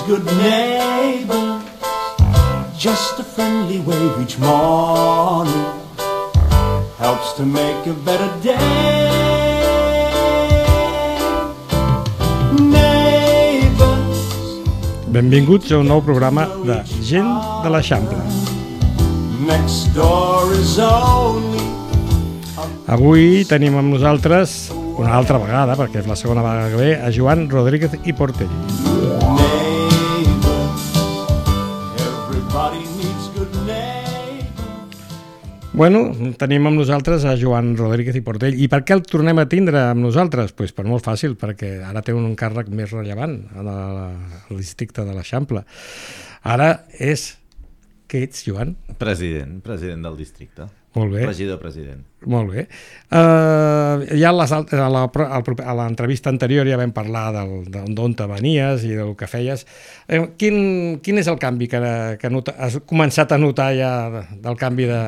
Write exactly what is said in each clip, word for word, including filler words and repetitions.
good neighbors. Just a friendly wave each morning helps to make a better day. Neighbors. Benvinguts a un nou programa de Gent de l'Eixample. Next door is only. Avui tenim amb nosaltres, una altra vegada, perquè és la segona vegada que ve, a Joan Rodríguez i Portell. Bueno, tenim amb nosaltres a Joan Rodríguez i Portell. I per què el tornem a tindre amb nosaltres? Pues per molt fàcil, perquè ara té un càrrec més rellevant al districte de l'Eixample. Ara és... Què ets, Joan? President, president del districte. Molt bé. Regidor president. Molt bé. Uh, ja a, les, a, la, a l'entrevista anterior ja vam parlar d'on te venies i del que feies. Eh, quin, quin és el canvi que, que nota, has començat a notar ja del canvi de...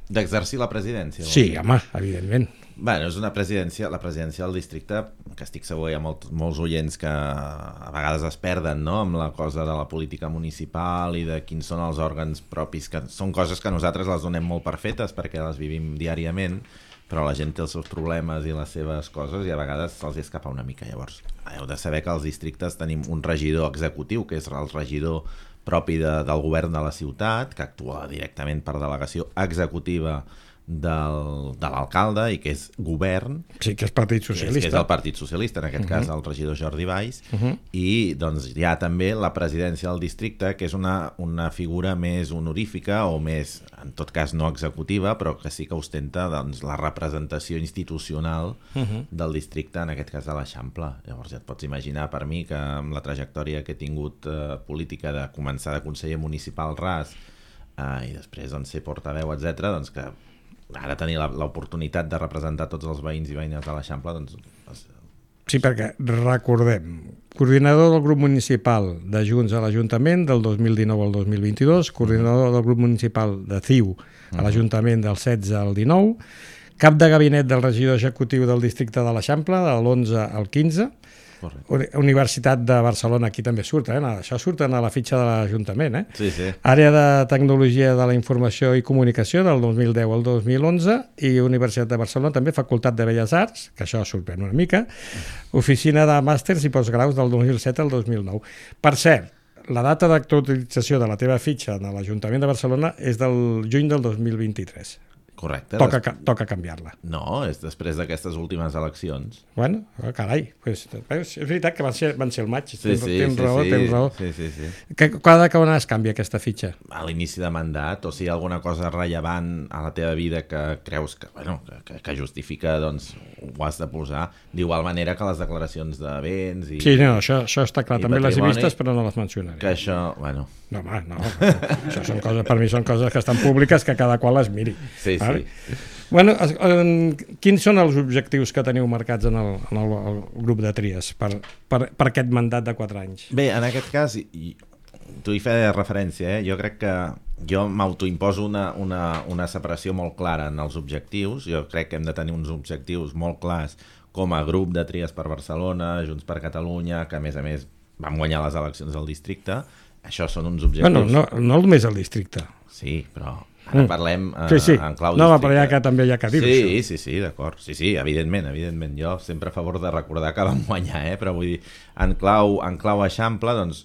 D'exercir la presidència? Sí, home, evidentment. Bueno, és una presidència, la presidència del districte, que estic segur hi ha molt, molts oients que a vegades es perden, no?, amb la cosa de la política municipal i de quins són els òrgans propis, que són coses que nosaltres les donem molt per fetes perquè les vivim diàriament, però la gent té els seus problemes i les seves coses i a vegades se'ls escapa una mica. Llavors, heu de saber que als districtes tenim un regidor executiu, que és el regidor propi de, del govern de la ciutat, que actua directament per delegació executiva del, de l'alcalde i que és govern. Sí, que és Partit Socialista. Que és, que és el Partit Socialista, en aquest uh-huh. cas el regidor Jordi Valls, uh-huh. i doncs hi ha també la presidència del districte, que és una, una figura més honorífica o més, en tot cas no executiva, però que sí que ostenta doncs, la representació institucional uh-huh. del districte, en aquest cas de l'Eixample. Llavors ja et pots imaginar per mi que amb la trajectòria que he tingut eh, política de començar de conseller municipal ras eh, i després doncs, ser portaveu, etcètera, doncs que ara tenir l'oportunitat de representar tots els veïns i veïnes de l'Eixample, doncs... Sí, perquè recordem, coordinador del grup municipal de Junts a l'Ajuntament del dos mil dinou al dos mil vint-i-dos, coordinador del grup municipal de C I U a l'Ajuntament del setze al dinou, cap de gabinet del regidor executiu del districte de l'Eixample de l'onze al quinze, correcte. Universitat de Barcelona, aquí també surt, eh? Això surt a la fitxa de l'Ajuntament, eh? Sí, sí. Àrea de Tecnologia de la Informació i Comunicació del dos mil deu al dos mil onze i Universitat de Barcelona també, Facultat de Belles Arts, que això sorprèn una mica, Oficina de Màsters i Postgraus del dos mil set al dos mil nou. Per cert, la data d'actualització de la teva fitxa de l'Ajuntament de Barcelona és del juny del dos mil vint-i-tres. Correcte. Toca, des... toca canviar-la. No, és després d'aquestes últimes eleccions. Bueno, carai, pues, és veritat que van ser, van ser el maig. Sí, tens, sí, tens sí, raó, sí, tens raó. sí, sí, sí. Que, cada que on es canvia aquesta fitxa? A l'inici de mandat, o si hi ha alguna cosa rellevant a la teva vida que creus que, bueno, que, que justifica, doncs ho has de posar. D'igual manera que les declaracions de béns i... Sí, no, això, això està clar. També les he vistes, però no les mencionaré. Que això, bueno... No, home, no. Això són coses, per mi són coses que estan públiques, que cada qual les miri. Sí, vale? sí. Bueno, quins són els objectius que teniu marcats en el, en el, el grup de Tries per, per, per aquest mandat de quatre anys? Bé, en aquest cas, i, tu hi feies referència, eh? Jo crec que jo m'autoimposo una, una, una separació molt clara en els objectius. Jo crec que hem de tenir uns objectius molt clars com a grup de Tries per Barcelona, Junts per Catalunya, que a més a més vam guanyar les eleccions del districte. Això són uns objectius... Bueno, no, no només el districte. Sí, però... Ara parlem uh, sí, sí. en clau no, districte. Però ja que també hi ha que dir sí, això. Sí, sí, d'acord. Sí, sí, evidentment, evidentment. Jo sempre a favor de recordar que vam guanyar, eh? Però vull dir, en clau, en clau Eixample, doncs,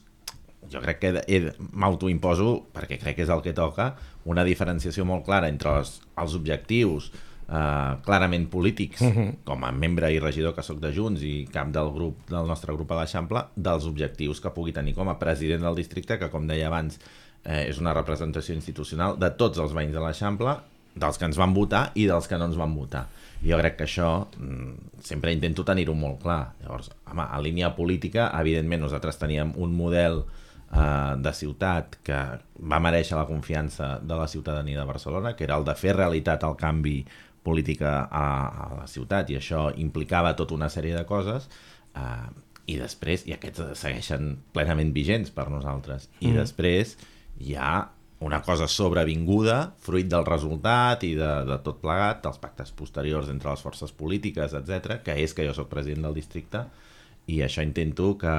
jo crec que he, m'autoimposo, perquè crec que és el que toca, una diferenciació molt clara entre els, els objectius uh, clarament polítics, uh-huh. com a membre i regidor que sóc de Junts i cap del grup del nostre grup a l'Eixample, dels objectius que pugui tenir com a president del districte, que com deia abans, Eh, és una representació institucional de tots els veïns de l'Eixample, dels que ens van votar i dels que no ens van votar. Jo crec que això mm, sempre intento tenir-ho molt clar. Llavors, home, a línia política, evidentment nosaltres teníem un model eh, de ciutat que va merèixer la confiança de la ciutadania de Barcelona, que era el de fer realitat el canvi polític a, a la ciutat, i això implicava tota una sèrie de coses, eh, i després, i aquests segueixen plenament vigents per nosaltres, i mm. després hi ha una cosa sobrevinguda, fruit del resultat i de, de tot plegat, dels pactes posteriors entre les forces polítiques, etcètera, que és que jo soc president del districte i això intento que,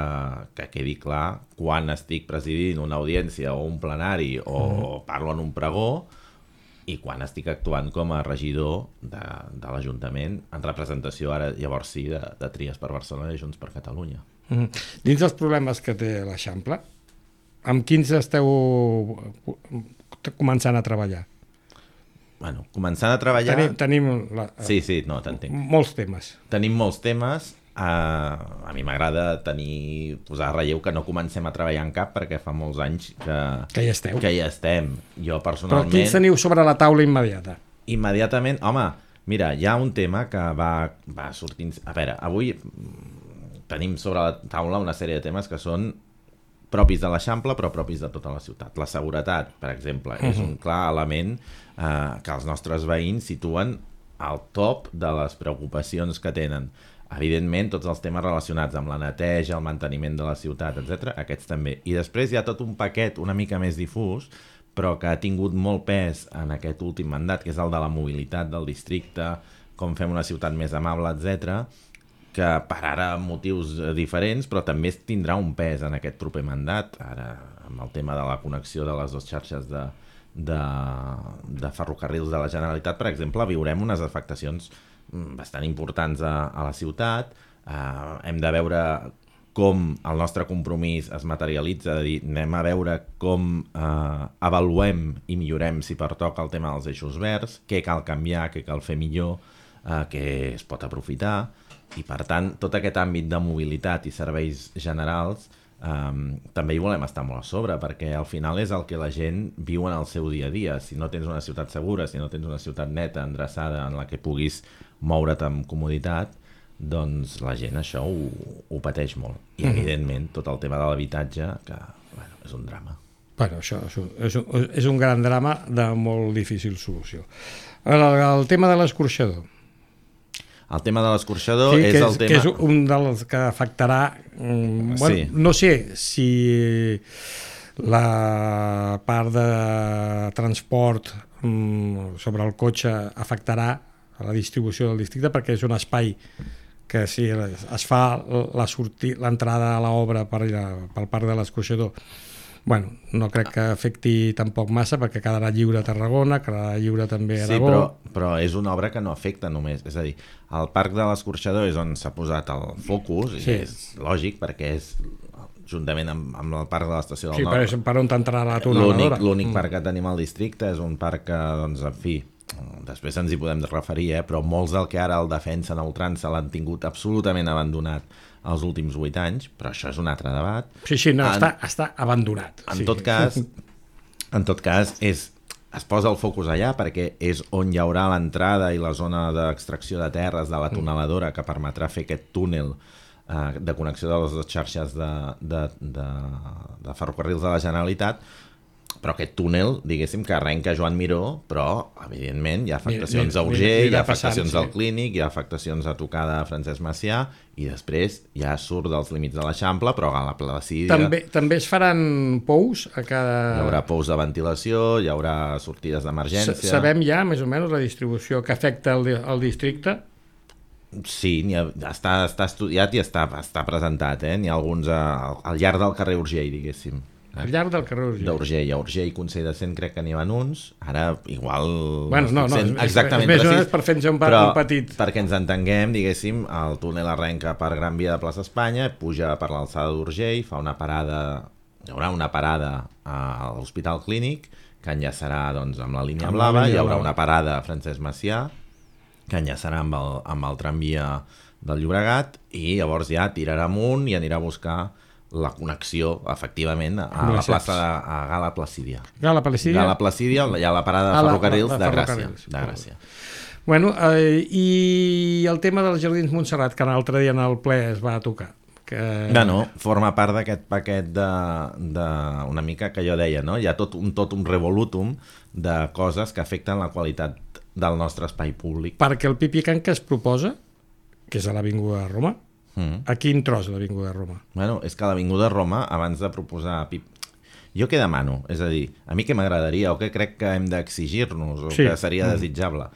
que quedi clar quan estic presidint una audiència o un plenari o mm. parlo en un pregó i quan estic actuant com a regidor de, de l'Ajuntament en representació, ara llavors sí, de, de Tries per Barcelona i Junts per Catalunya. Mm. Dins dels problemes que té l'Eixample, amb quins esteu començant a treballar? Bueno, començant a treballar... Tenim, tenim la, sí, sí, no, t'entenc. Molts temes. Tenim molts temes. Uh, a mi m'agrada tenir, posar a relleu que no comencem a treballar en cap perquè fa molts anys que, que, hi, esteu. que hi estem. Jo personalment... Però quins teniu sobre la taula immediata? Immediatament, home, mira, hi ha un tema que va, va sortint... A veure, avui tenim sobre la taula una sèrie de temes que són propis de l'Eixample però propis de tota la ciutat. La seguretat, per exemple, uh-huh. és un clar element uh, que els nostres veïns situen al top de les preocupacions que tenen. Evidentment, tots els temes relacionats amb la neteja, el manteniment de la ciutat, etcètera, aquests també. I després hi ha tot un paquet una mica més difús, però que ha tingut molt pes en aquest últim mandat, que és el de la mobilitat del districte, com fem una ciutat més amable, etcètera, que per ara motius diferents, però també tindrà un pes en aquest proper mandat, ara amb el tema de la connexió de les dues xarxes de, de, de ferrocarrils de la Generalitat, per exemple, viurem unes afectacions bastant importants a, a la ciutat. Uh, hem de veure com el nostre compromís es materialitza, de dir, anem a veure com uh, avaluem i millorem, si pertoca, el tema dels eixos verds, què cal canviar, què cal fer millor, uh, què es pot aprofitar, i per tant, tot aquest àmbit de mobilitat i serveis generals um, també hi volem estar molt a sobre, perquè al final és el que la gent viu en el seu dia a dia. Si no tens una ciutat segura, si no tens una ciutat neta, endreçada, en la que puguis moure't amb comoditat, doncs la gent això ho, ho pateix molt. I, evidentment, tot el tema de l'habitatge, que bueno, és un drama. Bueno, això és un, és, un, és un gran drama de molt difícil solució. El, el tema de l'escorxador. El tema de l'escorxador sí, és, és el tema... Que és un dels que afectarà... Um, bueno, sí. No sé si la part de transport um, sobre el cotxe afectarà a la distribució del districte, perquè és un espai que si es fa l'entrada a l'obra per, pel parc de l'escorxador, bueno, no crec que afecti tampoc massa, perquè quedarà lliure a Tarragona, quedarà lliure també a Aragó. Sí, però, però és una obra que no afecta només, és a dir, el parc de l'escorxador és on s'ha posat el focus, sí. I és lògic, perquè és juntament amb, amb el parc de l'estació del sí, Nord. Sí, per on t'entrarà la tuneladora. L'únic mm. parc que tenim al districte és un parc que, doncs, en fi, després ens hi podem referir, eh? Però molts del que ara el defensen a ultrança l'han tingut absolutament abandonat els últims vuit anys, però això és un altre debat. Sí, sí, no, en, està, està abandonat. En sí. tot cas, en tot cas és, es posa el focus allà perquè és on hi haurà l'entrada i la zona d'extracció de terres de la tuneladora que permetrà fer aquest túnel eh, de connexió de les dues xarxes de, de, de, de ferrocarrils de la Generalitat. Però aquest túnel, diguéssim, que arrenca Joan Miró, però, evidentment, hi ha afectacions a Urgell, hi ha afectacions al Clínic, hi ha afectacions a tocar de Francesc Macià, i després ja surt dels límits de l'Eixample, però a la Placídia... També, també es faran pous a cada... Hi haurà pous de ventilació, hi haurà sortides d'emergència... Sabem ja, més o menys, la distribució que afecta el, el districte? Sí, ha, està, està estudiat i està, està presentat, eh? N'hi ha alguns a, al llarg del carrer Urgell, diguéssim. Al llarg del carrer Urgell. D'Urgell a Urgell, Consell de Cent, crec que n'hi van uns. Ara, igual... Bueno, no, no, és, exactament és més precís, o menys per fer-nos un, però, un petit... perquè ens entenguem, diguéssim, el túnel arrenca per Gran Via de Plaça Espanya, puja per l'alçada d'Urgell, fa una parada... Hi haurà una parada a l'Hospital Clínic, que enllaçarà, doncs, amb la línia blava, hi haurà una parada a Francesc Macià, que enllaçarà amb el, amb el tramvia del Llobregat, i llavors ja tirarà amunt i anirà a buscar la connexió, efectivament, a la plaça de a Gala Placídia. Gala Placídia? Gala Placídia, hi ha la parada de ferrocarrils de, de, de Gràcia. De Gràcia. Bueno, eh, i el tema dels Jardins Montserrat, que l'altre dia en el ple es va tocar. Que... Bueno, forma part d'aquest paquet de, de una mica que jo deia, no? Hi ha tot un, tot un revolutum de coses que afecten la qualitat del nostre espai públic. Perquè el Pipicant que es proposa, que és a l'Avinguda de Roma, Mm. a quin tros de l'Avinguda de Roma? Bueno, és que a l'Avinguda de Roma, abans de proposar... Pip... Jo què demano? És a dir, a mi què m'agradaria o què crec que hem d'exigir-nos o sí. que seria mm. desitjable?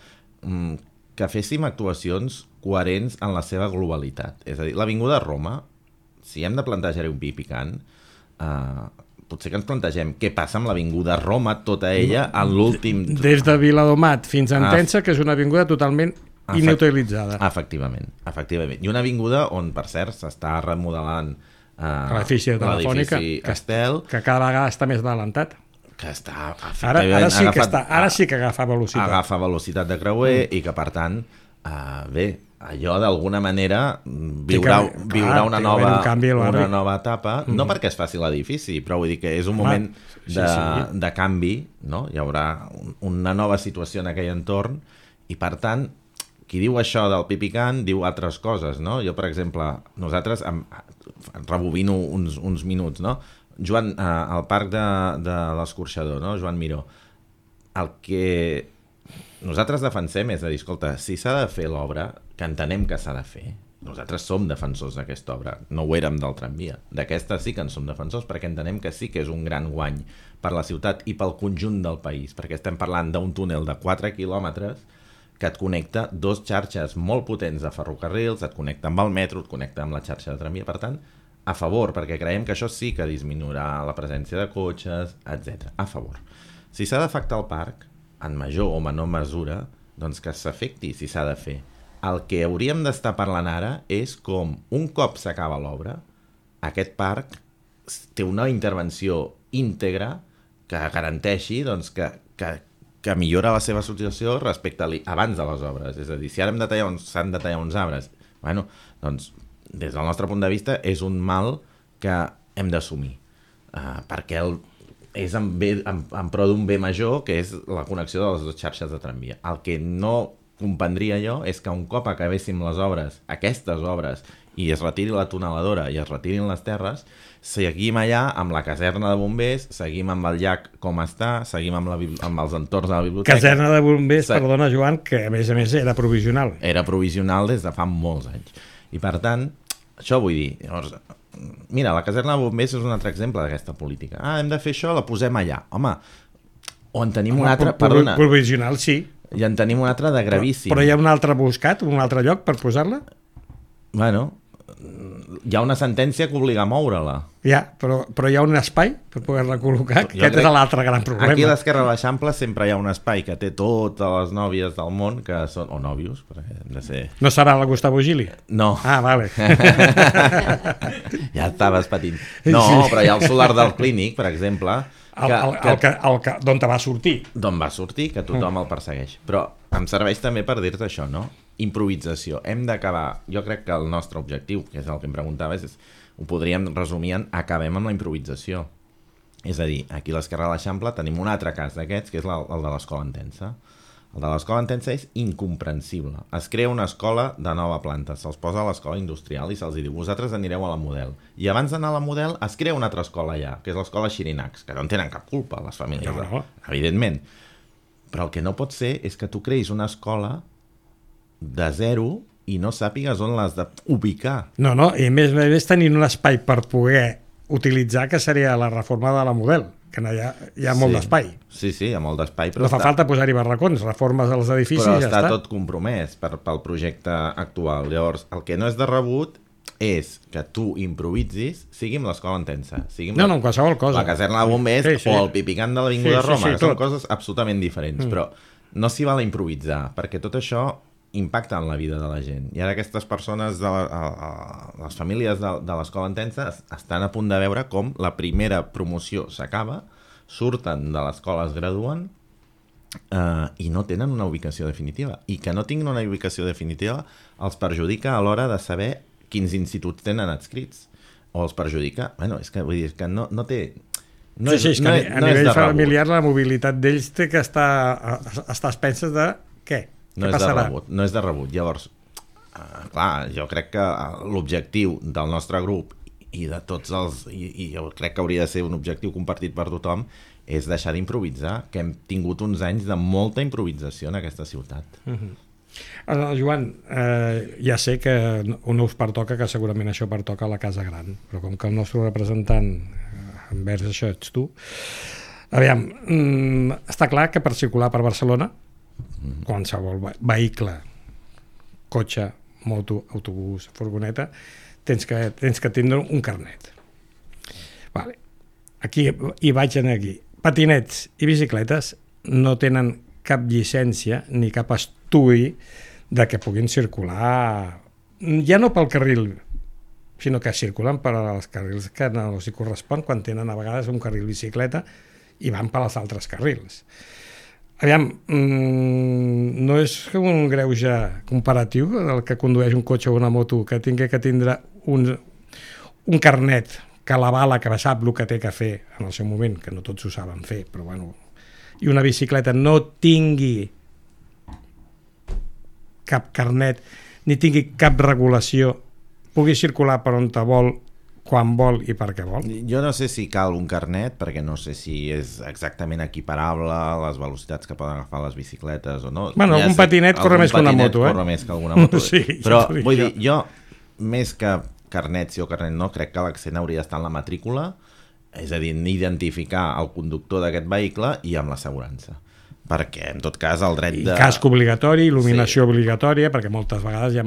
Mm, que féssim actuacions coherents en la seva globalitat. És a dir, l'Avinguda de Roma si hem de plantejar-hi un pi picant, eh, potser que ens plantegem què passa amb l'avinguda Roma, tota ella, en l'últim... Des de Viladomat fins a Entença, que és una avinguda totalment inutilitzada. Efectivament, efectivament. I una avinguda on, per cert, s'està remodelant eh, l'edifici de Telefònica, que, Estel, que cada vegada està més adelantat. Que està... Ara, ara, sí, que està, ara sí que agafa velocitat. Agafa velocitat de creuer mm. i que, per tant, eh, bé, allò d'alguna manera viurà, que, viurà clar, una, nova, un canvi una nova etapa, mm. no perquè es faci l'edifici, però vull dir que és un moment ah, sí, de, sí. de canvi, no? Hi haurà un, una nova situació en aquell entorn i, per tant, qui diu això del pi picant diu altres coses, no? Jo, per exemple, nosaltres, em, rebobino uns, uns minuts, no? Joan, eh, al parc de, de l'Escorxador, no? Joan Miró, el que nosaltres defensem és de dir, escolta, si s'ha de fer l'obra, que entenem que s'ha de fer, nosaltres som defensors d'aquesta obra, no ho érem del tramvia, d'aquesta sí que en som defensors perquè entenem que sí que és un gran guany per la ciutat i pel conjunt del país, perquè estem parlant d'un túnel de quatre quilòmetres que et connecta dos xarxes molt potents de ferrocarrils, et connecta amb el metro, et connecta amb la xarxa de tramvia, per tant, a favor, perquè creiem que això sí que disminuirà la presència de cotxes, etcètera. A favor. Si s'ha d'afectar el parc, en major o menor mesura, doncs que s'afecti si s'ha de fer. El que hauríem d'estar parlant ara és com, un cop s'acaba l'obra, aquest parc té una intervenció íntegra que garanteixi doncs, que, que, que millora la seva situació respecte a abans de les obres. És a dir, si ara hem de tallar uns, s'han de tallar uns arbres, bueno, doncs, des del nostre punt de vista, és un mal que hem d'assumir. Uh, perquè el, és en, bé, en, en pro d'un bé major, que és la connexió de les dues xarxes de tramvia. El que no comprendria jo és que un cop acabéssim les obres, aquestes obres, i es retiri la tuneladora i es retirin les terres, seguim allà amb la caserna de bombers, seguim amb el llac com està, seguim amb, la, amb els entorns de la biblioteca. Caserna de bombers, Se... perdona Joan, que a més a més era provisional. Era provisional des de fa molts anys. I per tant, això vull dir, llavors, mira, la caserna de bombers és un altre exemple d'aquesta política. Ah, hem de fer això, la posem allà. Home, o en tenim un altre... Perdona. Provisional, sí. I en tenim un altre de gravíssim. Però, però hi ha un altre buscat, un altre lloc per posar-la? Bueno, hi ha una sentència que obliga a moure-la. Ja, però, però hi ha un espai per poder-la col·locar, que aquest és l'altre gran problema. Aquí a l'esquerra de l'Eixample sempre hi ha un espai que té totes les nòvies del món, que són, o nòvios, perquè hem de ser... No serà la Gustavo Gili? No. Ah, vale. Ja estaves patint. No, però hi ha el solar del Clínic, per exemple... Que, el, el, que, el que, d'on te va sortir. D'on va sortir, que tothom mm. el persegueix. Però em serveix també per dir-te això, no? Improvisació. Hem d'acabar... Jo crec que el nostre objectiu, que és el que em preguntaves, és, ho podríem resumir en acabem amb la improvisació. És a dir, aquí a l'esquerra de l'Eixample tenim un altre cas d'aquests, que és la, el de l'Escola Entença. El de l'Escola Entença és incomprensible. Es crea una escola de nova planta, se'ls posa a l'escola industrial i se'ls diu, vosaltres anireu a la Model. I abans d'anar a la Model es crea una altra escola allà, que és l'escola Xirinacs, que no en tenen cap culpa, les famílies, no, no. evidentment. Però el que no pot ser és que tu creïs una escola de zero i no sàpigues on l'has d'ubicar. No, no, i més a més tenint un espai per poder utilitzar, que seria la reforma de la Model, que hi ha, hi ha molt sí. d'espai. Sí, sí, hi ha molt d'espai. No fa està... falta posar-hi barracons, reformes als edificis i ja està. Però està tot compromès per, pel projecte actual. Llavors, el que no és de rebut és que tu improvisis, sigui amb l'Escola Entença, sigui amb no, la, no, qualsevol cosa. la caserna de bombers sí, sí. o el pipicant de l'Avinguda sí, sí, Roma, sí, que tot. són coses absolutament diferents. Mm. Però no s'hi val a improvisar, perquè tot això impacta en la vida de la gent. I ara aquestes persones, de la, a, a, les famílies de, de l'Escola Entença estan a punt de veure com la primera promoció s'acaba, surten de l'escola, es graduen eh, i no tenen una ubicació definitiva. I que no tinguin una ubicació definitiva els perjudica a l'hora de saber quins instituts tenen adscrits. O els perjudica... Bueno, és que vull dir que no, no té... No sí, és, sí, és que no, a, a no nivell és familiar la mobilitat d'ells té que estar a, a estar a expenses de què? No què és passarà? de rebut, no és de rebut. Llavors, eh, clar, jo crec que l'objectiu del nostre grup i de tots els, i, i jo crec que hauria de ser un objectiu compartit per tothom, és deixar d'improvisar, que hem tingut uns anys de molta improvisació en aquesta ciutat. Uh-huh. Uh, Joan, eh, ja sé que no us pertoca, que segurament això pertoca a la Casa Gran, però com que el nostre representant eh, envers això ets tu, aviam, mm, està clar que per circular per Barcelona, mm. qualsevol vehicle, cotxe, moto, autobús, furgoneta, tens que, tens que tindre un carnet. Vale. Aquí hi vaig anar aquí. Patinets i bicicletes no tenen cap llicència ni cap estudi de que puguin circular, ja no pel carril, sinó que circulen per als carrils que no els hi correspon quan tenen a vegades un carril bicicleta i van per als altres carrils. Aviam, mmm, no és un greuge comparatiu del que condueix un cotxe o una moto que tingui que tindre un, un carnet que l'avala, que sap el que té que fer en el seu moment, que no tots ho saben fer, però bueno, i una bicicleta no tingui cap carnet ni tingui cap regulació, pugui circular per on te vol, quan vol i per què vol. Jo no sé si cal un carnet, perquè no sé si és exactament equiparable a les velocitats que poden agafar les bicicletes o no. Bueno, ja algun sé, patinet corre més que una moto, eh? Corre més que alguna moto. Sí, però ja vull jo. dir, jo, més que carnet sí o carnet no, crec que l'accent hauria d'estar en la matrícula, és a dir, identificar el conductor d'aquest vehicle i amb l'assegurança. Perquè, en tot cas, el dret de... I casc obligatori, il·luminació sí. obligatòria, perquè moltes vegades hi ha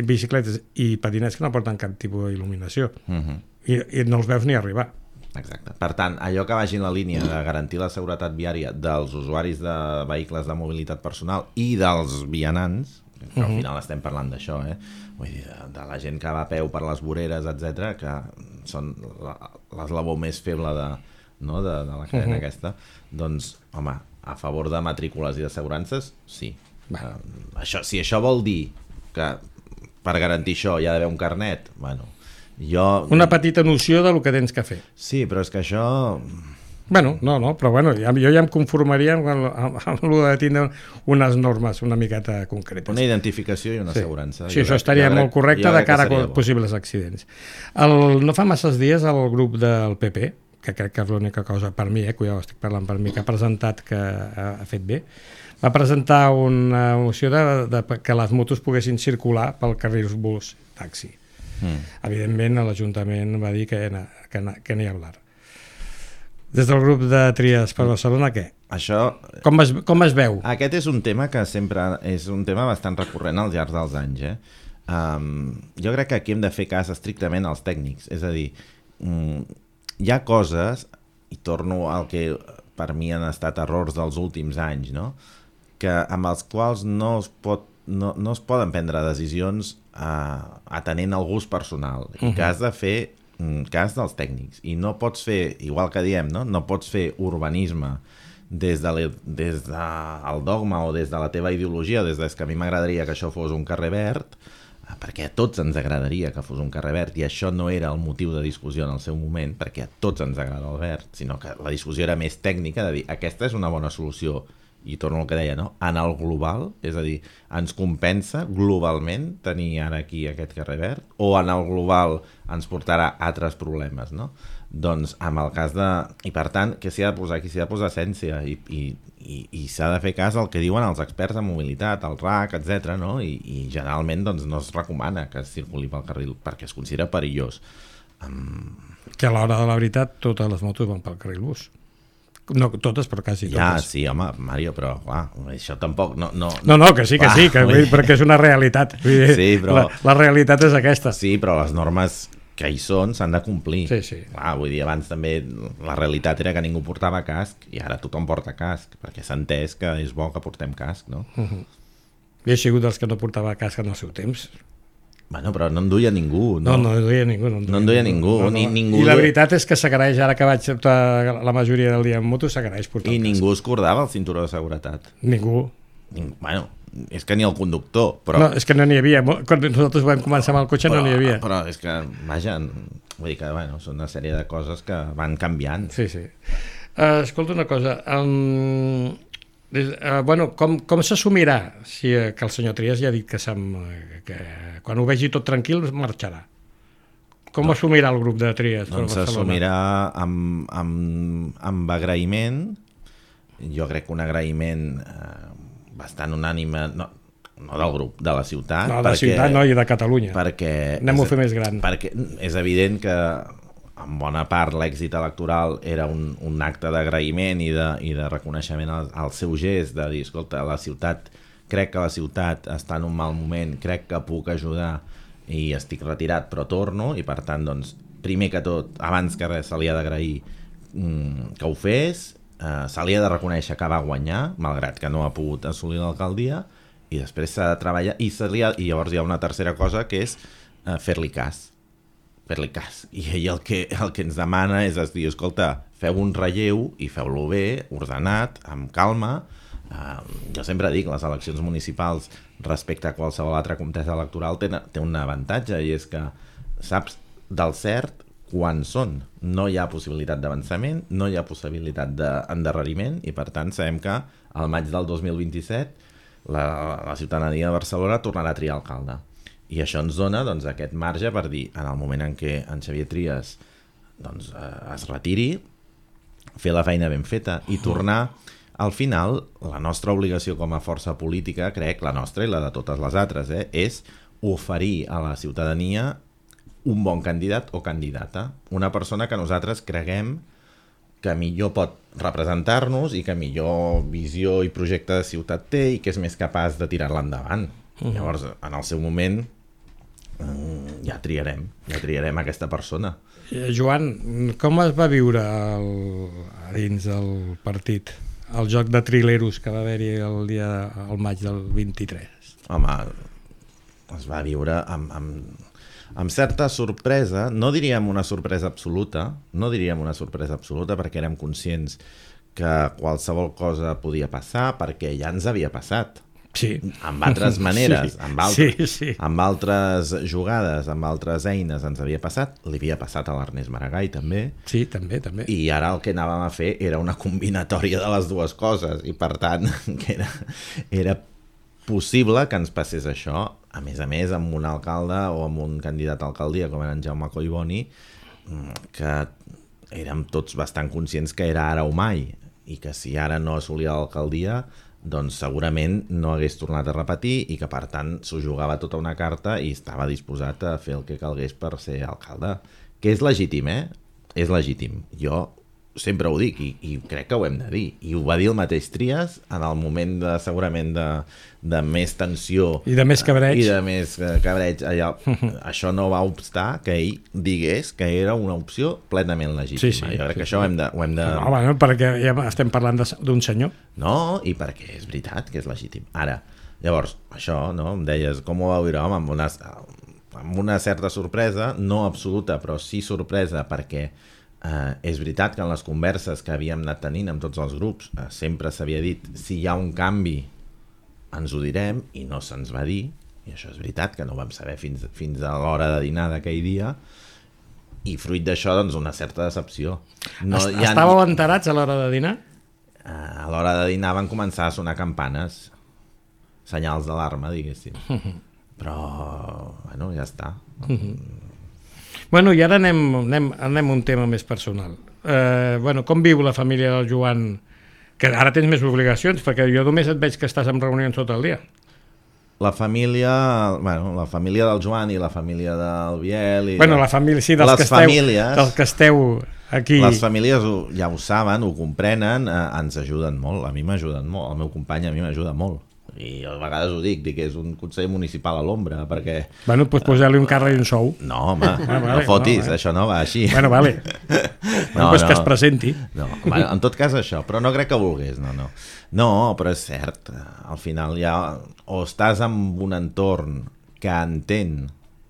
bicicletes i patinets que no porten cap tipus d'il·luminació. Uh -huh. I, I no els veus ni arribar. Exacte. Per tant, allò que vagi en la línia de garantir la seguretat viària dels usuaris de vehicles de mobilitat personal i dels vianants, que al final estem parlant d'això, eh? Vull dir, de, de la gent que va a peu per les voreres, etcètera, que són l'eslabó més feble de, no, de, de la cadena uh -huh. aquesta, doncs, home, a favor de matrícules i d'assegurances, sí. Uh, això, si això vol dir que per garantir això hi ha d'haver un carnet, bueno, jo... Una petita noció del que tens que fer. Sí, però és que això... Bueno, no, no, però bueno, ja, jo ja em conformaria amb, amb, amb el de tindre unes normes una miqueta concretes. Una identificació i una sí. assegurança. Sí, jo això crec, estaria molt correcte de cara a possibles accidents. El, no fa masses dies el grup del P P, que crec que és l'única cosa per mi, eh, cuidado, estic parlant per mi, que ha presentat que ha, ha fet bé, va presentar una moció de, de, de que les motos poguessin circular pel carril bus taxi. Mm. Evidentment, l'Ajuntament va dir que, que, que n'hi ha hablar. Des del grup de Tries per Barcelona, què? Això... Com es, com es veu? Aquest és un tema que sempre és un tema bastant recurrent al llarg dels anys, eh? Um, jo crec que aquí hem de fer cas estrictament als tècnics, és a dir, um, hi ha coses, i torno al que per mi han estat errors dels últims anys, no? Que amb els quals no es, pot, no, no es poden prendre decisions uh, atenent al gust personal, uh -huh. i que has de fer cas dels tècnics, i no pots fer, igual que diem, no, no pots fer urbanisme des, de le, des del dogma o des de la teva ideologia, des de que a mi m'agradaria que això fos un carrer verd, perquè a tots ens agradaria que fos un carrer verd, i això no era el motiu de discussió en el seu moment, perquè a tots ens agrada el verd, sinó que la discussió era més tècnica, de dir, aquesta és una bona solució, i torno al que deia, no? En el global, és a dir, ens compensa globalment tenir ara aquí aquest carrer verd, o en el global ens portarà altres problemes, no? Doncs amb el cas de... I per tant, què s'hi ha de posar? Aquí s'hi ha de posar essència, i, i, i, i s'ha de fer cas al que diuen els experts en mobilitat, el R A C, etcètera, no? I, i generalment doncs, no es recomana que es circuli pel carril, perquè es considera perillós. Um... Que a l'hora de la veritat totes les motos van pel carril bus. No totes, però quasi totes. Ja, sí, home, Mario, però clar, això tampoc... No, no, no, no que sí, que clar, sí, que, vull dir, perquè és una realitat. Vull dir, sí, però... la, la realitat és aquesta. Sí, però les normes que hi són s'han de complir. Sí, sí. Clar, vull dir, abans també la realitat era que ningú portava casc, i ara tothom porta casc, perquè s'ha entès que és bo que portem casc, no? Uh -huh. I he sigut dels que no portava casc en el seu temps. Bueno, però no en duia ningú, No, no? no en duia ningú. No en duia, no en duia ningú, ningú, no, no. Ni, ningú... I la veritat és que s'agraeix, ara que vaig tota la majoria del dia en moto, s'agraeix portar I el ningú es cordava el cinturó de seguretat. Ningú. Ning... Bueno, és que ni el conductor, però... No, és que no n'hi havia. Quan nosaltres vam començar amb el cotxe però, no n'hi havia. Però és que, vaja, vull dir que, bueno, són una sèrie de coses que van canviant. Sí, sí. Uh, escolta una cosa, um, des, uh, bueno, com, com s'assumirà si uh, que el senyor Trias ja ha dit que, que quan ho vegi tot tranquil marxarà? Com no. assumirà el grup de Trias? Doncs s'assumirà amb, amb, amb agraïment, jo crec que un agraïment eh, bastant unànime, no, no del grup, de la ciutat. No, de la ciutat no, i de Catalunya. Perquè anem-ho a fer més gran. Perquè és evident que en bona part l'èxit electoral era un, un acte d'agraïment i, de, i de reconeixement al, al seu gest, de dir, escolta, la ciutat, crec que la ciutat està en un mal moment, crec que puc ajudar, i estic retirat però torno, i per tant doncs, primer que tot, abans que res se li ha d'agrair mm, que ho fes, eh, se li ha de reconèixer que va guanyar, malgrat que no ha pogut assolir l'alcaldia, i després s'ha de treballar, i, se li ha, i llavors hi ha una tercera cosa que és eh, fer-li cas, fer-li cas, i ell el que, el que ens demana és es dir, escolta, feu un relleu i feu-lo bé, ordenat, amb calma. Uh, jo sempre dic, les eleccions municipals respecte a qualsevol altra contesa electoral té, té un avantatge, i és que saps del cert quan són. No hi ha possibilitat d'avançament, no hi ha possibilitat d'endarreriment, i per tant sabem que al maig del dos mil vint-i-set la, la ciutadania de Barcelona tornarà a triar alcalde. I això ens dona doncs, aquest marge per dir, en el moment en què en Xavier Trias doncs, eh, es retiri, fer la feina ben feta i tornar. Al final, la nostra obligació com a força política, crec, la nostra i la de totes les altres, eh, és oferir a la ciutadania un bon candidat o candidata, una persona que nosaltres creguem que millor pot representar-nos i que millor visió i projecte de ciutat té i que és més capaç de tirar-la endavant. Uh-huh. Llavors, en el seu moment, ja triarem, ja triarem aquesta persona. Joan, com es va viure el, a dins del partit el joc de trileros que va haver-hi el dia al maig del vint-i-tres? Home, es va viure amb, amb, amb certa sorpresa, no diríem una sorpresa absoluta, no diríem una sorpresa absoluta perquè érem conscients que qualsevol cosa podia passar, perquè ja ens havia passat. Sí. Amb altres maneres, sí. amb, altres, sí, sí. amb altres jugades, amb altres eines ens havia passat, li havia passat a l'Ernest Maragall també. Sí, també, també. I ara el que anàvem a fer era una combinatòria de les dues coses, i per tant que era, era possible que ens passés això, a més a més amb un alcalde o amb un candidat a alcaldia com era en Jaume Collboni, que érem tots bastant conscients que era ara o mai, i que si ara no assolia l'alcaldia doncs segurament no hagués tornat a repetir, i que per tant s'ho jugava tota una carta i estava disposat a fer el que calgués per ser alcalde, que és legítim, eh? És legítim. Jo sempre ho dic, i, i crec que ho hem de dir, i ho va dir el mateix Trias en el moment de, segurament de, de més tensió i de més cabreig, i de més cabreig allà, això no va obstar que ell digués que era una opció plenament legítima. Sí, sí, jo crec sí, que això sí. ho hem de... Ho hem de... No, bueno, perquè ja estem parlant d'un senyor. No, i perquè és veritat que és legítim. Ara, llavors, això, no? Em deies, com ho va viure? Home, amb una, amb una certa sorpresa, no absoluta, però sí sorpresa, perquè eh, és veritat que en les converses que havíem anat tenint amb tots els grups eh, sempre s'havia dit, si hi ha un canvi ens ho direm, i no se'ns va dir, i això és veritat que no ho vam saber fins, fins a l'hora de dinar d'aquell dia, i fruit d'això, doncs, una certa decepció. No, Est ja Estàveu ni... enterats a l'hora de dinar? A l'hora de dinar van començar a sonar campanes, senyals d'alarma, diguéssim. Però, bueno, ja està. Bueno, i ara anem, anem, anem a un tema més personal. Eh, bueno, com viu la família del Joan? Que ara tens més obligacions, perquè jo només et veig que estàs en reunions tot el dia. La família, bueno, la família del Joan i la família del Biel... I bueno, la família, sí, dels, les que esteu, famílies, dels que esteu aquí... Les famílies ho, ja ho saben, ho comprenen, eh, ens ajuden molt, a mi m'ajuden molt, el meu company a mi m'ajuda molt. I a vegades ho dic, dic que és un conseller municipal a l'ombra, perquè... Bueno, doncs posar-li un càrrec i un sou. No, home, ah, vale, no fotis, no, vale. Això no va així. Bueno, vale. no, no, pues no. Que es presenti. No, bueno, en tot cas això, però no crec que volgués, no, no. No, però és cert, al final ja o estàs en un entorn que entén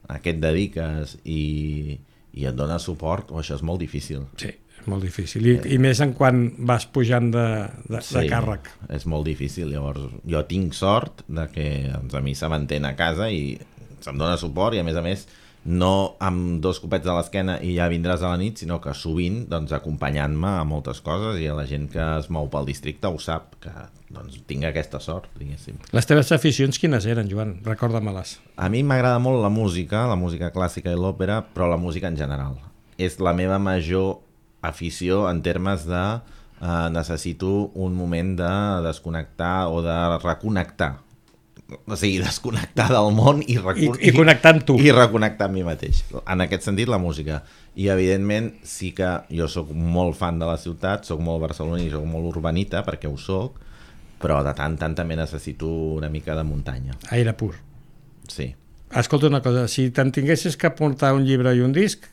a què et dediques i, i et dona suport, o això és molt difícil. Sí, és molt difícil. I, i més en quan vas pujant de, de, sí, de càrrec. És molt difícil. Llavors, jo tinc sort de que doncs, a mi se m'entén a casa i se'm dona suport, i a més a més no amb dos copets a l'esquena i ja vindràs a la nit, sinó que sovint doncs, acompanyant-me a moltes coses, i a la gent que es mou pel districte ho sap, que doncs, tinc aquesta sort, diguéssim. Les teves aficions quines eren, Joan? Recorda-me-les. A mi m'agrada molt la música, la música clàssica i l'òpera, però la música en general. És la meva major afició en termes de eh, necessito un moment de desconnectar o de reconnectar. O sigui, desconnectar del món i, I, i connectar amb tu. I reconnectar amb mi mateix. En aquest sentit, la música. I, evidentment, sí que jo sóc molt fan de la ciutat, sóc molt barceloní, sóc molt urbanita, perquè ho sóc, però de tant tant també necessito una mica de muntanya. Aire pur. Sí. Escolta una cosa, si te'n tinguessis que portar un llibre i un disc,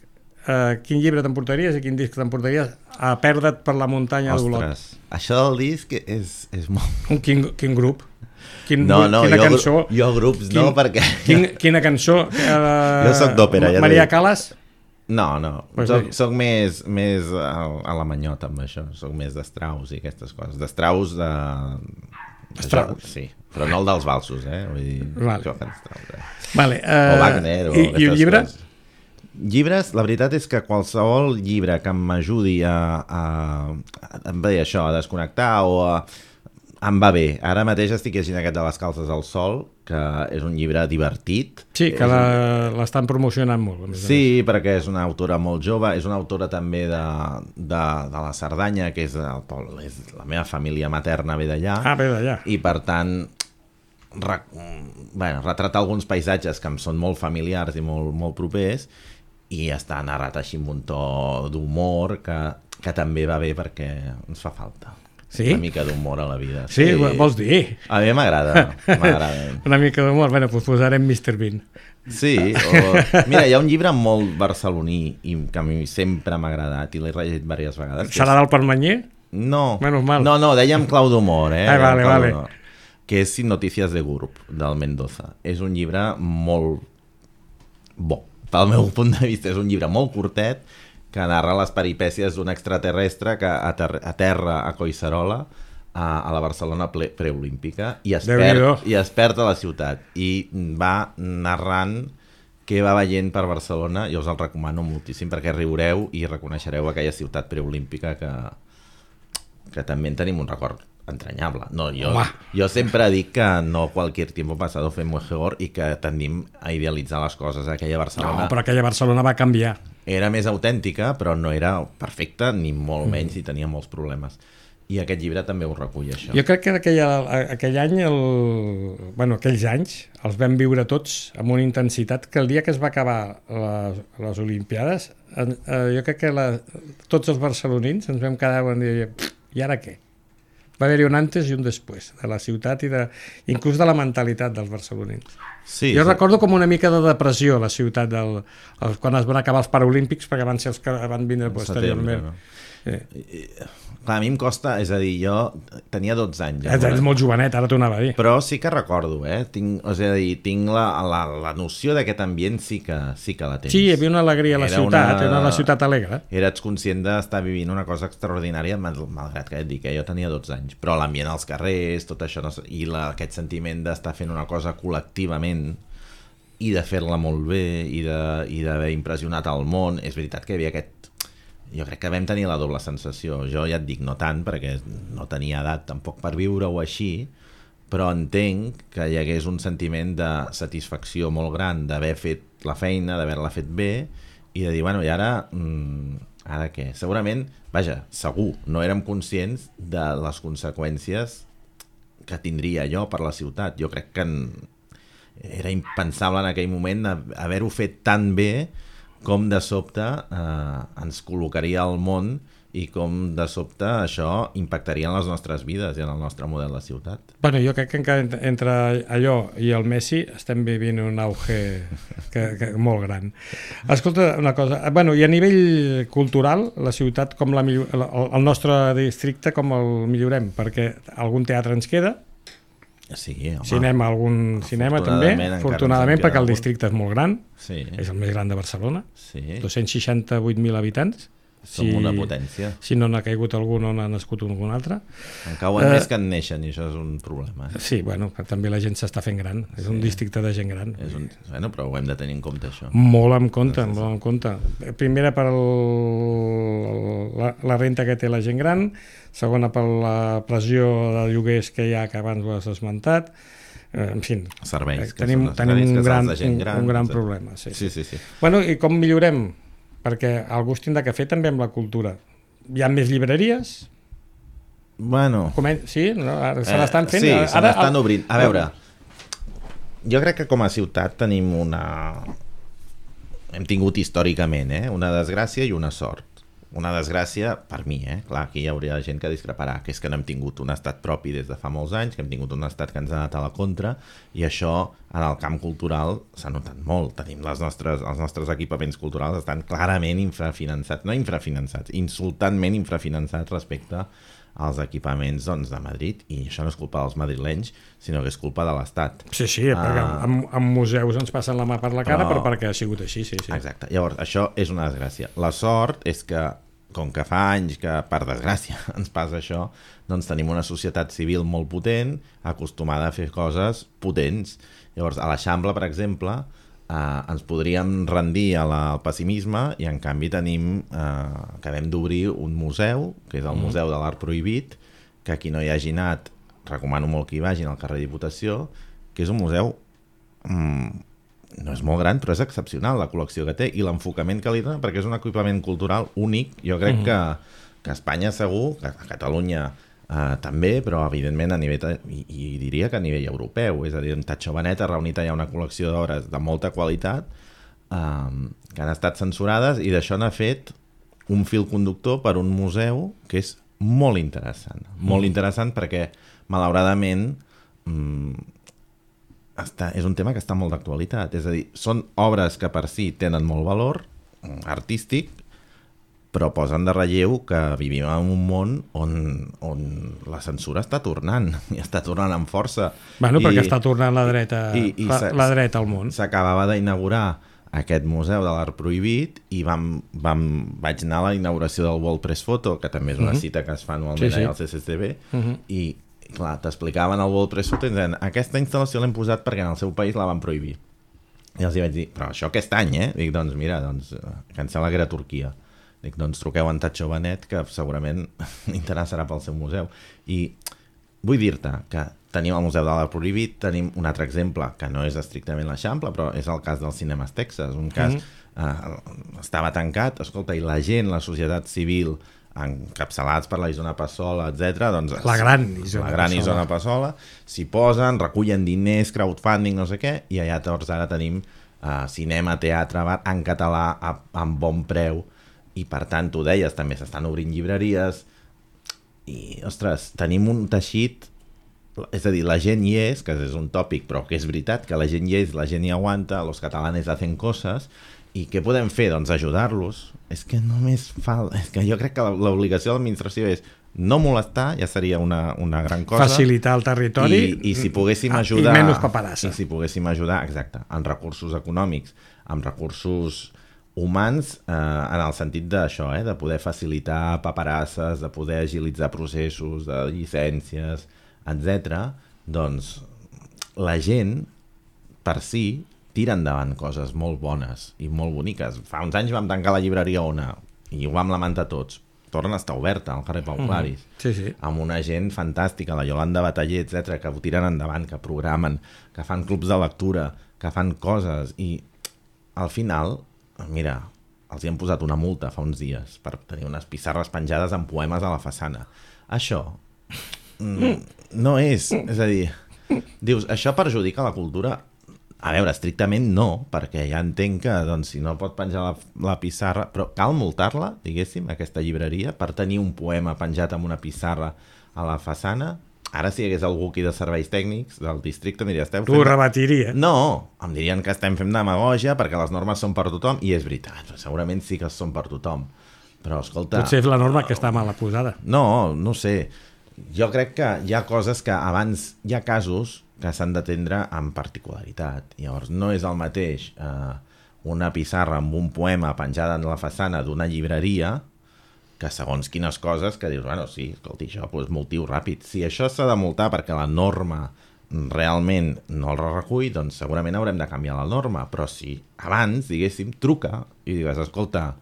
eh, quin llibre t'emportaries i quin disc t'emportaries a perdre't per la muntanya d'Olot? Ostres, això del disc és, és molt... Un, quin, quin grup? Quin, No, no, quina jo, cançó? jo grups Quin, no, perquè... Quin, quina cançó? Eh, Jo soc d'òpera, ja t'ho Maria dic. Calas? No, no, Pues soc, sí. soc més, més a, a la manyota amb això, soc més d'Strauss i aquestes coses. D'Strauss de... Strauss. Jo, sí, però no el dels valsos, eh? Vull dir, Vale. jo faig Strauss, eh? Vale, eh, O Wagner, o i, I un aquestes llibre? coses. Llibres, la veritat és que qualsevol llibre que m'ajudi a, a, a, a, a, això, a desconnectar o a, em va bé. Ara mateix estic llegint aquest de Les calces al sol, que és un llibre divertit. Sí, que És un- la- l'estan promocionant molt. a més a Sí, perquè és una autora molt jove, és una autora també de, de, de la Cerdanya, que és, el, poble- és la meva família materna ve d'allà, més. Ah, bé, d'allà. i per tant re, bueno, retratar alguns paisatges que em són molt familiars i molt, molt propers, i està narrat així amb un to d'humor que, que també va bé perquè ens fa falta. Sí? Una mica d'humor a la vida. Sí, vols dir? A mi m'agrada, m'agrada. Una mica d'humor. Bueno, doncs posarem mister Bean. Sí, o... mira, hi ha un llibre molt barceloní i que a mi sempre m'ha agradat i l'he rellegit diverses vegades. que Serà és- del Permanyer? No, Menys mal. no, no, dèiem clau d'humor, eh? Ah, vale, Dèiem clau vale. d'humor. Que és Sin notícies de Gurb, del Mendoza. És un llibre molt bo. Pel meu punt de vista és un llibre molt curtet que narra les peripècies d'un extraterrestre que ater aterra a Collserola, a, a la Barcelona ple- preolímpica, i es, Déu-n'hi-do. perd, i es perd a la ciutat. I va narrant què va veient per Barcelona. Jo us el recomano moltíssim perquè riureu i reconeixereu aquella ciutat preolímpica que, que també en tenim un record entranyable. No, jo, Home. jo sempre dic que no cualquier tiempo pasado fue mejor i que tendim a idealitzar les coses. Aquella Barcelona No, però aquella Barcelona va canviar. era més autèntica, però no era perfecta, ni molt menys, i tenia molts problemes. I aquest llibre també ho recull, això. Jo crec que aquella, aquell any, el, bueno, aquells anys, els vam viure tots amb una intensitat que el dia que es va acabar les, les Olimpiades, eh, jo crec que la, tots els barcelonins ens vam quedar i dir, i ara què? Va haver-hi un antes i un després de la ciutat i de, inclús de la mentalitat dels barcelonins. Sí, Jo sí. recordo com una mica de depressió la ciutat del, el, quan es van acabar els Paraolímpics, perquè van ser els que van vindre Setembre, posteriorment. no? Sí. Clar, a mi em costa, és a dir, jo tenia dotze anys. Ets, ets molt jovenet, ara t'ho anava a dir. Però sí que recordo, eh? Tinc, és a dir, tinc la, la, la noció d'aquest ambient sí que, sí que la tens. Sí, hi havia una alegria a la Era ciutat, una- era una ciutat alegre. Eres conscient d'estar vivint una cosa extraordinària, mal- malgrat que et dic que jo tenia dotze anys, però l'ambient als carrers, tot això, no sé, i la, aquest sentiment d'estar fent una cosa col·lectivament i de fer-la molt bé i de- i d'haver impressionat al món. És veritat que hi havia aquest... Jo crec que vam tenir la doble sensació. Jo ja et dic, no tant, perquè no tenia edat tampoc per viure-ho així, però entenc que hi hagués un sentiment de satisfacció molt gran d'haver fet la feina, d'haver-la fet bé, i de dir, bueno, i ara... Mm, ara què? Segurament, vaja, segur, no érem conscients de les conseqüències que tindria allò per la ciutat. Jo crec que en... era impensable en aquell moment haver-ho fet tan bé com de sobte eh, ens col·locaria al món i com de sobte això impactaria en les nostres vides i en el nostre model de ciutat. Bueno, jo crec que encara ent- entre allò i el Messi estem vivint un auge que, que, molt gran. Escolta, una cosa, bueno, i a nivell cultural, la ciutat, com la, millor- el, el nostre districte, com el millorem? Perquè algun teatre ens queda, Sí, home. cinema, algun cinema també, Afortunadament, encara afortunadament, ens en perquè queda el algun. districte és molt gran, Sí, és el més gran de Barcelona, sí. dos-cents seixanta-vuit mil habitants. Som una potència. Si no n'ha caigut algun o n'ha nascut algun altre. En cauen Eh, més que en neixen i això és un problema. Eh? Sí, bueno, que també la gent s'està fent gran, és un districte de gent gran. És un... Bueno, però ho hem de tenir en compte, això. Molt en compte, molt en compte. Primera per el, la, la renta que té la gent gran, segona per la pressió de lloguers que hi ha, que abans ho has esmentat, eh, en fi, Serveis, que tenim, són tenim necessaris, un que gran, se'ls de gent un, gran, un gran etcètera. problema. Sí, Sí, sí, sí. Bueno, i com millorem? Perquè algú es tindrà que fer també amb la cultura. Hi ha més llibreries? Bueno... Comen sí? No? Ara se Eh, n'estan fent? Sí, Ara- se n'estan obrint. A veure, jo crec que com a ciutat tenim una... Hem tingut històricament, eh? Una desgràcia i una sort. una desgràcia per mi, eh? Clar, aquí hi hauria gent que discreparà, que és que no hem tingut un estat propi des de fa molts anys, que hem tingut un estat que ens ha anat a la contra, i això en el camp cultural s'ha notat molt. Tenim les nostres, els nostres equipaments culturals estan clarament infrafinançats, no infrafinançats, insultantment infrafinançats respecte als equipaments doncs, de Madrid, i això no és culpa dels madrilenys, sinó que és culpa de l'Estat. Sí, sí, perquè uh, en, en museus ens passen la mà per la cara, però, però perquè ha sigut així, sí, sí. Exacte, llavors això és una desgràcia. La sort és que, com que fa anys que, per desgràcia, ens passa això, doncs tenim una societat civil molt potent, acostumada a fer coses potents. Llavors, a l'Eixample, per exemple, Uh, ens podríem rendir a la, al pessimisme, i en canvi tenim uh, acabem d'obrir un museu, que és el Museu de l'Art Prohibit, que qui no hi hagi anat, recomano molt que hi vagin al carrer Diputació, que és un museu um, no és molt gran, però és excepcional la col·lecció que té i l'enfocament que li dona, perquè és un equipament cultural únic. Jo crec uh-huh. que, que a Espanya segur, que a Catalunya Uh, també, però evidentment a nivell i, i diria que a nivell europeu, és a dir, en Tatxo Benet ha reunit allà una col·lecció d'obres de molta qualitat um, que han estat censurades, i d'això n'ha fet un fil conductor per un museu que és molt interessant, mm. molt interessant perquè malauradament um, està, és un tema que està molt d'actualitat, és a dir, són obres que per si tenen molt valor um, artístic, però posen de relleu que vivim en un món on, on la censura està tornant, i està tornant amb força. Bueno, I, perquè està tornant la dreta, i, i la, la dreta al món. S'acabava d'inaugurar aquest Museu de l'Art Prohibit i vam, vam, vaig anar a la inauguració del World Press Photo, que també és una uh-huh. cita que es fa anualment sí, sí. al C C C B, uh-huh. i clar, t'explicaven el World Press Photo i deien, aquesta instal·lació l'hem posat perquè en el seu país la van prohibir. I els hi vaig dir, però això aquest any, eh? Dic, doncs mira, doncs, que em sembla que era Turquia. Dic, doncs truqueu en Tatxo Benet, que segurament interessarà pel seu museu. I vull dir-te que tenim el Museu de l'Art Prohibit, tenim un altre exemple, que no és estrictament l'Eixample, però és el cas dels Cinemes Texas, un cas mm-hmm. eh, estava tancat, escolta, i la gent, la societat civil, encapçalats per la Isona Passola, etcètera, doncs la gran Isona, la gran Isona Passola, s'hi posen, recullen diners, crowdfunding, no sé què, i allà tots ara tenim eh, cinema, teatre, bar, en català, a, amb bon preu, i per tant, tu deies, també s'estan obrint llibreries i, ostres, tenim un teixit, és a dir, la gent hi és, que és un tòpic, però que és veritat, que la gent hi és, la gent hi aguanta, los catalanes hacen coses, i què podem fer? Doncs ajudar-los. És que només fa... És que jo crec que l'obligació de l'administració és no molestar, ja seria una, una gran cosa. Facilitar el territori. I, i si poguéssim ajudar... I menys paperassa. I si poguéssim ajudar, exacte, amb recursos econòmics, amb recursos humans, eh, en el sentit d'això, eh, de poder facilitar paperasses, de poder agilitzar processos, de llicències, etcètera, doncs la gent, per si, tira endavant coses molt bones i molt boniques. Fa uns anys vam tancar la llibreria Ona i ho vam lamentar tots. Torna a estar oberta al carrer Pau Claris, mm, sí, sí. amb una gent fantàstica, la Yolanda Bataller, etcètera, que ho tiren endavant, que programen, que fan clubs de lectura, que fan coses, i al final... Mira, els hi han posat una multa fa uns dies per tenir unes pissarres penjades amb poemes a la façana. Això mm, no és... És a dir, dius, això perjudica la cultura? A veure, estrictament no, perquè ja entenc que doncs, si no pot penjar la, la pissarra... Però cal multar-la, diguéssim, aquesta llibreria, per tenir un poema penjat amb una pissarra a la façana? Ara si hi hagués algú aquí de serveis tècnics del districte, em diria, esteu fent... Tu ho rebatiria. No, em dirien que estem fent demagògia perquè les normes són per tothom, i és veritat, segurament sí que són per tothom. Però, escolta... Potser és la norma que està mal posada. No, no sé. Jo crec que hi ha coses que abans... Hi ha casos que s'han d'atendre amb particularitat. Llavors, no és el mateix eh, una pissarra amb un poema penjada en la façana d'una llibreria que segons quines coses que dius, bueno, sí, escolti, això és motiu ràpid. Si això s'ha de multar perquè la norma realment no el recull, doncs segurament haurem de canviar la norma, però si abans, diguéssim, truca i digues, escolta,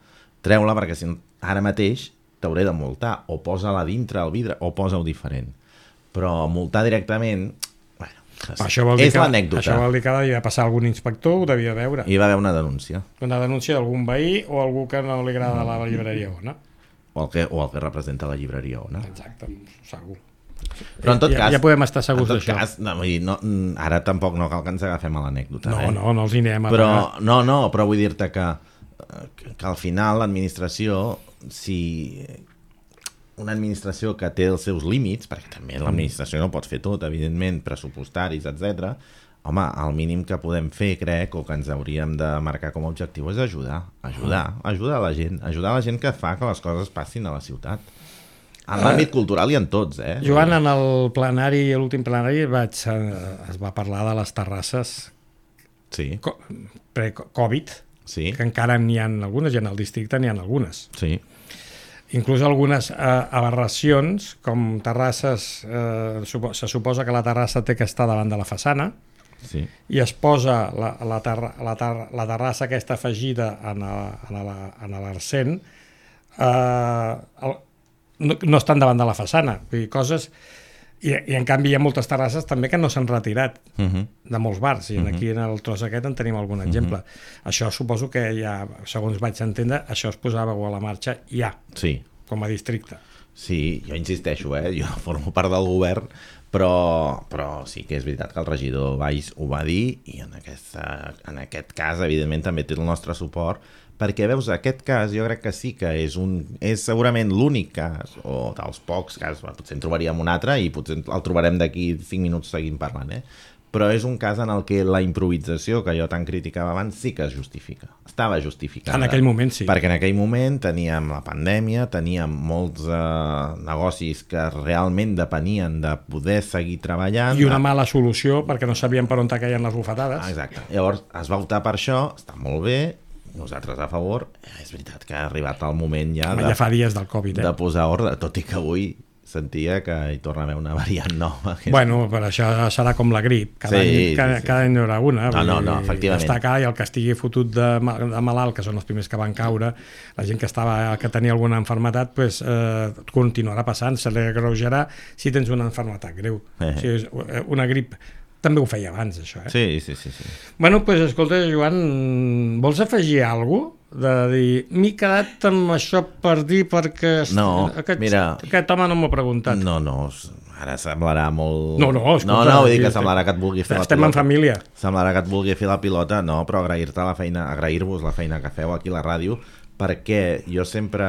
treu-la perquè si ara mateix t'hauré de multar, o posa-la dintre el vidre, o posa-ho diferent. Però multar directament... Bueno, això vol dir és que, l'anècdota. Això vol dir que devia passar algun inspector, ho devia veure. Hi va haver una denúncia. Una denúncia d'algun veí o algú que no li agrada la llibreria Ona. O el, que, o el que representa la llibreria Ona. Exacte, segur. Però en tot ja, cas... Ja podem estar segurs d'això. No, vull dir, no, ara tampoc no cal que ens agafem a l'anècdota. No, eh? no, no els hi anem a però, pagar. no, no, però vull dir-te que, que, que al final l'administració si una administració que té els seus límits, perquè també l'administració no pot fer tot, evidentment, pressupostaris, etcètera, home, el mínim que podem fer, crec, o que ens hauríem de marcar com a objectiu és ajudar, ajudar, ajudar a la gent, ajudar a la gent que fa que les coses passin a la ciutat. En l'àmbit cultural i en tots, eh? Joan, en el plenari, l'últim plenari, vaig, es va parlar de les terrasses sí. pre-Covid, sí. que encara n'hi ha algunes, i en el districte n'hi ha algunes. Sí. Inclús algunes eh, aberracions, com terrasses, eh, supo, se suposa que la terrassa té que estar davant de la façana, sí. i es posa la, la, terra, la, ter, la terrassa aquesta afegida en l'arcent, eh, el, no, no estan davant de la façana, vull dir, coses... I, I en canvi hi ha moltes terrasses també que no s'han retirat uh -huh. de molts bars, i uh -huh. aquí en el tros aquest en tenim algun exemple. Uh -huh. Això suposo que ja, segons vaig entendre, això es posava a la marxa ja, sí. com a districte. Sí, jo insisteixo, eh? Jo formo part del govern, però, però sí que és veritat que el regidor Valls ho va dir, i en, aquesta, en aquest cas, evidentment, també té el nostre suport, perquè, veus, aquest cas jo crec que sí que és, un, és segurament l'únic cas, o dels pocs casos, potser en trobaríem un altre i potser el trobarem d'aquí cinc minuts seguint parlant, eh? Però és un cas en el que la improvisació que jo tant criticava abans sí que es justifica, estava justificada. En aquell moment sí. Perquè en aquell moment teníem la pandèmia, teníem molts eh, negocis que realment depenien de poder seguir treballant. I una mala solució perquè no sabien per on caien les bufetades. Ah, exacte. Llavors es va optar per això, està molt bé, nosaltres a favor. És veritat que ha arribat el moment ja, Home, de, ja fa dies del Covid, eh? de posar ordre, tot i que avui sentia que hi torna a haver una variant nova. Bueno, però això serà com la grip, cada, sí, any, cada, sí, sí. cada any hi haurà una. No, no, no, efectivament. Està clar, i el que estigui fotut de, de malalt, que són els primers que van caure, la gent que estava que tenia alguna enfermetat, pues, eh, continuarà passant, se li agreujarà si tens una enfermetat greu. Eh. O sigui, una grip també ho feia abans, això, eh? Sí, sí, sí. sí. Bueno, doncs, pues, escolta, Joan, vols afegir alguna cosa? De dir, m'he quedat amb això per dir perquè no, aquest, mira, aquest home no m'ho ha preguntat. No, no, ara semblarà molt... No, no, escolta, no, no, vull dir que semblarà que et vulgui fer la pilota. Estem en família. Semblarà que et vulgui fer la pilota, no, però agrair-te la feina, agrair-vos la feina que feu aquí a la ràdio, perquè jo sempre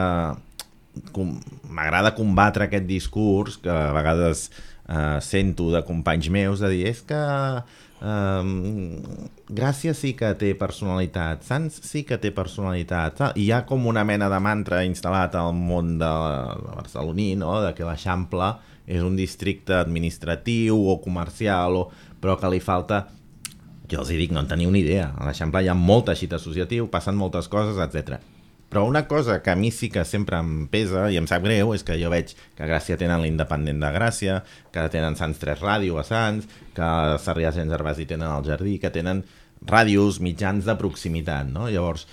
com, m'agrada combatre aquest discurs que a vegades eh, sento de companys meus de dir, és que Um, Gràcia sí que té personalitat, Sants sí que té personalitat, i hi ha com una mena de mantra instal·lat al món de, de barceloní, no? De que l'Eixample és un districte administratiu o comercial, o, però que li falta, jo els hi dic, no en teniu ni idea, a l'Eixample hi ha molt teixit associatiu, passen moltes coses, etcètera. Però una cosa que a mi sí que sempre em pesa i em sap greu és que jo veig que a Gràcia tenen l'Independent de Gràcia, que tenen Sants tres Ràdio a Sants, que a Sarrià Sant Gervasi tenen el Jardí, que tenen ràdios, mitjans de proximitat, no? Llavors,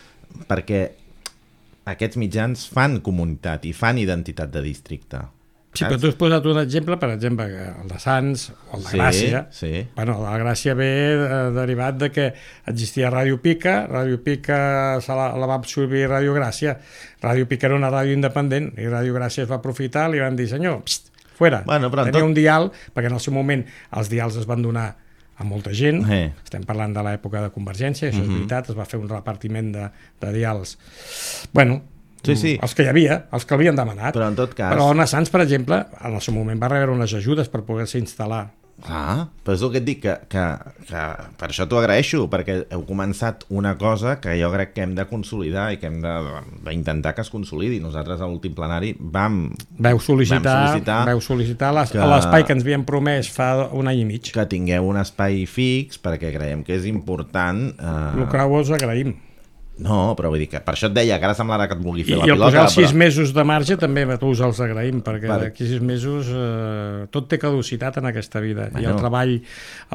perquè aquests mitjans fan comunitat i fan identitat de districte. Sí, però tu has posat un exemple, per exemple, el de Sants o el de sí, Gràcia. Sí. Bueno, el de Gràcia ve de, derivat de que existia Ràdio Pica, Ràdio Pica se la, la va absorbir Ràdio Gràcia. Ràdio Pica era una ràdio independent i Ràdio Gràcia es va aprofitar, li van dir, senyor, pst, fuera. Bueno, tenia tot... un dial, perquè en el seu moment els dials es van donar a molta gent, eh. estem parlant de l'època de Convergència, això uh-huh. és veritat, es va fer un repartiment de, de dials. Bueno, sí, sí. els que hi havia, els que l'havien demanat. Però en tot cas... Però Ona Sants, per exemple, en el seu moment va rebre unes ajudes per poder-se instal·lar. Ah, però és el que et dic, que, que, que per això t'ho agraeixo, perquè heu començat una cosa que jo crec que hem de consolidar i que hem d'intentar que es consolidi. Nosaltres a l'últim plenari vam... Veu sol·licitar, vam sol·licitar, veu sol·licitar les, que, l'espai que ens havien promès fa un any i mig. Que tingueu un espai fix, perquè creiem que és important... Eh... El que us agraïm. No, però vull dir que per això et deia que ara semblarà que et vulgui fer I, la i pilota. I el posar els sis però... mesos de marge també a tu us els agraïm, perquè per... d'aquí sis mesos eh, tot té caducitat en aquesta vida. Bueno. I el treball,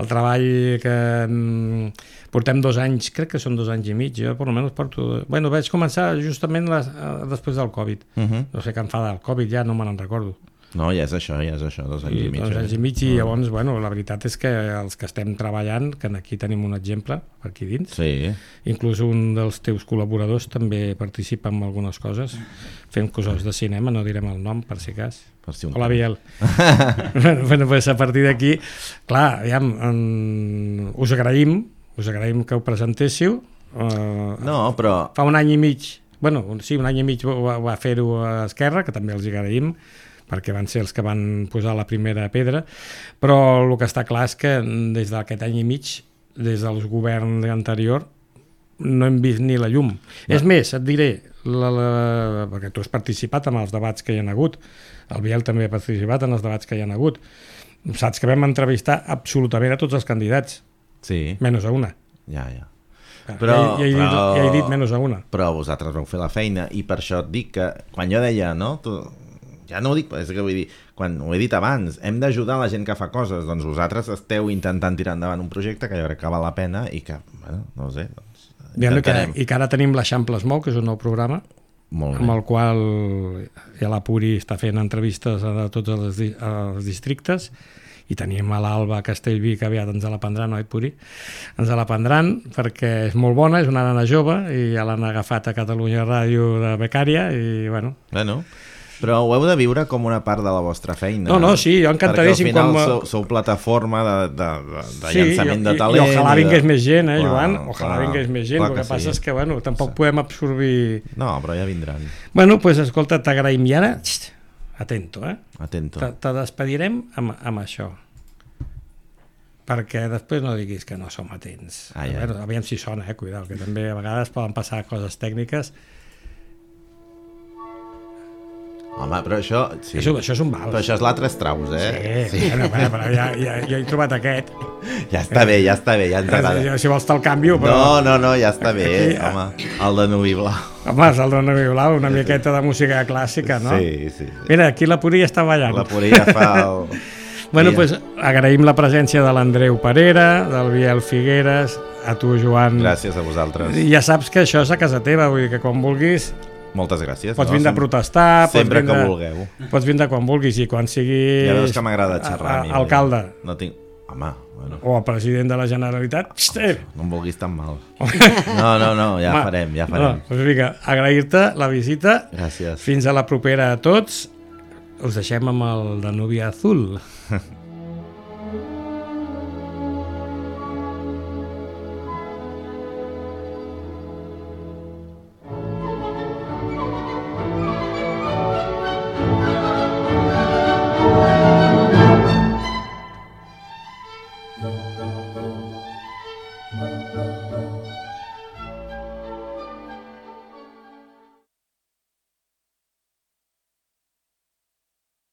el treball que mm, portem dos anys, crec que són dos anys i mig, jo per almenys porto... Bueno, vaig començar justament les, eh, després del Covid. Uh-huh. No sé què em fa del Covid, ja no me n'en recordo. No, ja és això, ja és això, dos anys i, i mig. Dos anys i mig, i llavors, bueno, la veritat és que els que estem treballant, que aquí tenim un exemple, per aquí dins, sí. Inclús un dels teus col·laboradors també participa en algunes coses, fem coses de cinema, no direm el nom, per si cas. Per si un Hola, Biel. Bueno, pues a partir d'aquí, clar, aviam, en... us agraïm, us agraïm que ho presentéssiu. Uh, no, però... Fa un any i mig bueno, sí, un any i mig va, va fer-ho a Esquerra, que també els agraïm, perquè van ser els que van posar la primera pedra, però el que està clar és que des d'aquest any i mig, des del govern anterior, no hem vist ni la llum. No. És més, et diré, la, la, perquè tu has participat en els debats que hi ha hagut, el Biel també ha participat en els debats que hi ha hagut, saps que vam entrevistar absolutament a tots els candidats, sí. menys a una. Ja, ja. Però, ja, ja, he dit, però, ja he dit menys a una. Però vosaltres vau fer la feina i per això et dic que quan jo deia, no? Tu, ja no ho dic, és que vull dir, quan ho he dit abans, hem d'ajudar la gent que fa coses, doncs vosaltres esteu intentant tirar endavant un projecte que jo crec que val la pena i que, bueno, no ho sé, doncs intentarem. Que, I que ara tenim l'Eixample es mou, que és un nou programa, Molt amb el qual ja la Puri està fent entrevistes a tots els, els districtes, i tenim a l'Alba Castellví, que aviat ens la prendran, oi, Puri? Ens la prendran perquè és molt bona, és una nana jove, i ja l'han agafat a Catalunya Ràdio de becària, i bueno... Bueno, però ho heu de viure com una part de la vostra feina. No, no, sí, jo encantadíssim. Perquè al final com... sou, sou plataforma de, de, de, de sí, llançament i, de talent. I ojalà vingués de... més gent, eh, clar, Joan? Ojalà clar, vingués més gent, el que, que passa sí. és que, bueno, tampoc sí. podem absorbir... No, però ja vindran. Bueno, doncs, pues, escolta, t'agraïm, i ara, xt, atento, eh? Atento. Te, te despedirem amb, amb això. Perquè després no diguis que no som atents. Ah, ja. Veure, aviam si sona, eh? Cuidao, que també a vegades poden passar coses tècniques. Home, però això... Sí. Això, això és un vals. Però això és l'altre Strauss, eh? Sí, sí. Bueno, bueno, però ja, ja, ja he trobat aquest. Ja està bé, ja està bé, ja ens agrada. Si vols te'l canvio, però... No, no, no, ja està bé, aquí, home. El de Nuvi Blau. Home, és el de Nuvi Blau, una miqueta de música clàssica, no? Sí, sí. sí. Mira, aquí la Puri està ballant. La Puri ja fa el... Bueno, doncs pues, agraïm la presència de l'Andreu Parera, del Biel Figueres, a tu, Joan. Gràcies a vosaltres. I ja saps que això és a casa teva, vull dir que quan vulguis... Moltes gràcies. Pots no? vindre a protestar... Sempre pots vindre, que vulgueu. Pots vindre quan vulguis i quan siguis... Ja veus que m'agrada xerrar a, a mi. Alcalde. No tinc... Home, bueno. O el president de la Generalitat. Xter! No em vulguis tan mal. No, no, no, ja Home, farem, ja farem. No, doncs vinga, agrair-te la visita. Gràcies. Fins a la propera a tots. Us deixem amb el Danubia Azul.